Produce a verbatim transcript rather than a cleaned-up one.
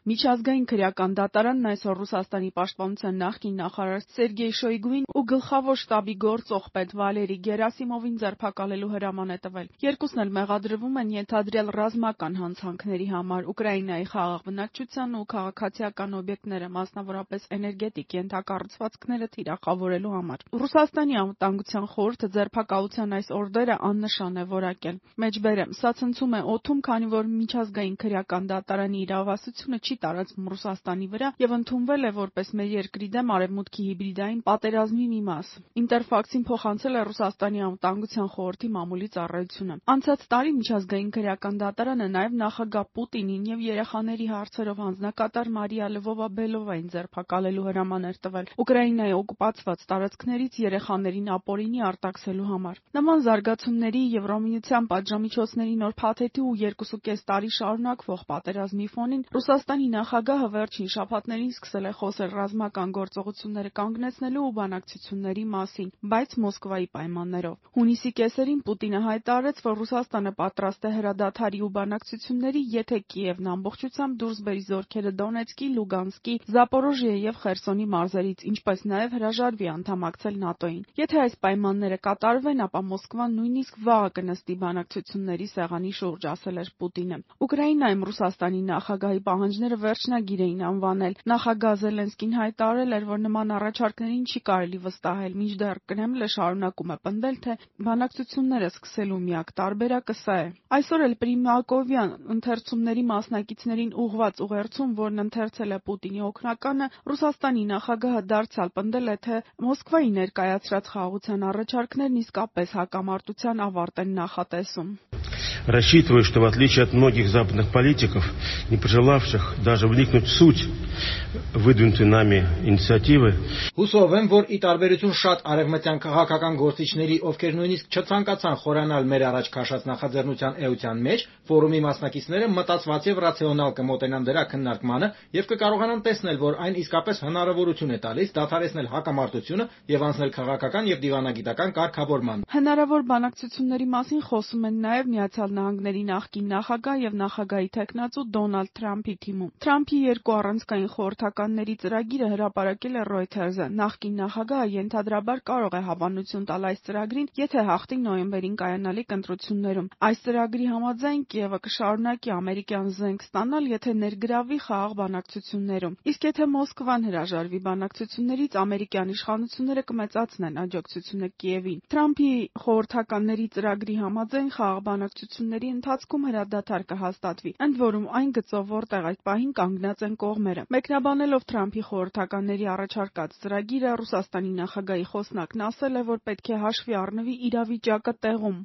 Միջազգային քրեական դատարանն այսօր Ռուսաստանի պաշտպանության նախկին նախարար Սերգեյ Շոյգուին ու գլխավոր շտաբի գործող պետ Վալերի Գերասիմովին ձերբակալելու հրաման է տվել։ Երկուսն էլ մեղադրվում են ենթադրյալ ռազմական հանցանքների համար Ուկրաինայի խաղաղ բնակչության ու քաղաքացիական օբյեկտները, մասնավորապես էներգետիկ ենթակառուցվածքները թիրախավորելու համար։ Ռուսաստանի անվտանգության խորհուրդը ձերբակալության այս օրդերը աննշան է որակել։ Մեջբերեմ, սա ցնցում է օդում, քանի որ միջազգային քրեական դատարանի իրավասությունը չի տարածվում Ռուսաստանի վրա եւ ընդունվել է որպես մեր երկրի դեմ Արևմուտքի հիբրիդային պատերազմի մի մաս։ Ինտերֆաքսին փոխանցել է Ռուսաստանի անվտանգության խորհրդի մամուլի ծառայությունը։ Անցած տարի միջազգային քրեական դատարանը նաեւ նախագահ Պուտինին եւ երեխաների հարցերով հանձնակատար Մարիա Լվովա-Բելովային ձերբակալելու հրաման էր տվել Ուկրաինայի օկուպացված տարածքներից երեխաներին ապօրինի արտաքսելու համար։ Նման զարգացումների Եվրամիության պատժամիջոցների նոր փաթեթի ու երկուսուկես տարի շարունակվող պատերազմի ֆոնին Ռուսաստանի նախագահը վերջին շաբաթներին սկսել է խոսել ռազմական գործողությունները կանգնեցնելու ու բանակցությունների մասին, բայց Մոսկվայի պայմաններով։ Հունիսի կեսերին Պուտինը հայտարարեց, որ Ռուսաստանը պատրաստ է հրադադարի ու բանակցությունների, եթե Կիևն ամբողջությամբ դուրս բերի զորքերը Դոնեցկի, Լուգանսկի, Զապորոժիե եւ Խերսոնի մարզերից, ինչպես նաեւ հրաժարվի անդամակցել ՆԱՏՕ-ին։ Եթե այս պայմանները կատարվեն, ապա Մոսկվան նույնիսկ վաղը կնստի բանակցությունների սեղանի շուրջ, ասել էր Պուտինը։ Ուկրաինայում Ռուսաստանի նախագահի պահանջները վերջնագիր էին անվանել։ Նախագահ Զելենսկին հայտարարել էր, որ նման առաջարկներին չի կարելի վստահել, մինչդեռ Կրեմլը շարունակում է պնդել, թե բանակցությունները սկսելու միակ տարբերակը սա է։ Այսօր էլ Պրիմակովյան ընթերցումների մասնակիցներին ուղղված ուղերձում, որն ընթերցել է Պուտինի օգնականը, Ռուսաստանի նախագահը դարձյալ պնդել է, թե Մոսկվայի ներկայացրած խաղաղության առաջարկներն իսկապես հակամարտության ավարտ են նախատեսում։ Рассчитываю, что в отличие от многих западных политиков, не пожелавших даже вникнуть в суть выдвинутой нами инициативы, Հուսով եմ, որ ի տարբերություն շատ արևմտյան քաղաքական գործիչների, ովքեր նույնիսկ չցանկացան խորանալ մեր առաջ քաշած նախաձեռնության էության մեջ, ֆորումի մասնակիցները մտածված եւ ռացիոնալ կմոտենան դրա քննարկմանը եւ կկարողանան տեսնել, որ այն իսկապես հնարավորություն է տալիս դադարեցնել հակամարտությունը եւ անցնել քաղաքական եւ դիվանագիտական կարգավորման։ Հնարավոր բանակցությունների մասին խոսում են նաեւ Միացյալ Նահանգների նախկին նախագահ եւ նախագահի թեկնածու Դոնալդ Թրամփի թիմում։ Թրամփի երկու առանցքային խորհրդականների ծրագիրը հրապարակել է Reuters-ը։ Նախկին նախագահը ենթադրաբար կարող է հավանություն տալ այս ծրագրին, եթե հաղթի նոյեմբերին կայանալիք ընտրություններում։ Այս ծրագրի համաձայն Կիևը կշարունակի ամերիկյան զենք ստանալ, եթե ներգրավվի խաղաղ բանակցություններում։ Իսկ եթե Մոսկվան հրաժարվի բանակցություններից, ամերիկյան իշխանությունները կմեծացնեն աջակցությունը Կիևին։ Թրամփի խորհրդականների ծրագրի համաձայն խաղաղ բանակցությունների ընթացքում հրադադար կհաստատվի, ընդ որում այն գծով, որտեղ այդ պահին կանգնած են կողմերը։ Մեկնաբանելով Թրամփի խորհրդականների առաջարկած ծրագիրը, Ռուսաստանի նախագահի խոսնակն ասել է, որ պետք է հաշվի առնվի իրավիճակը տեղում։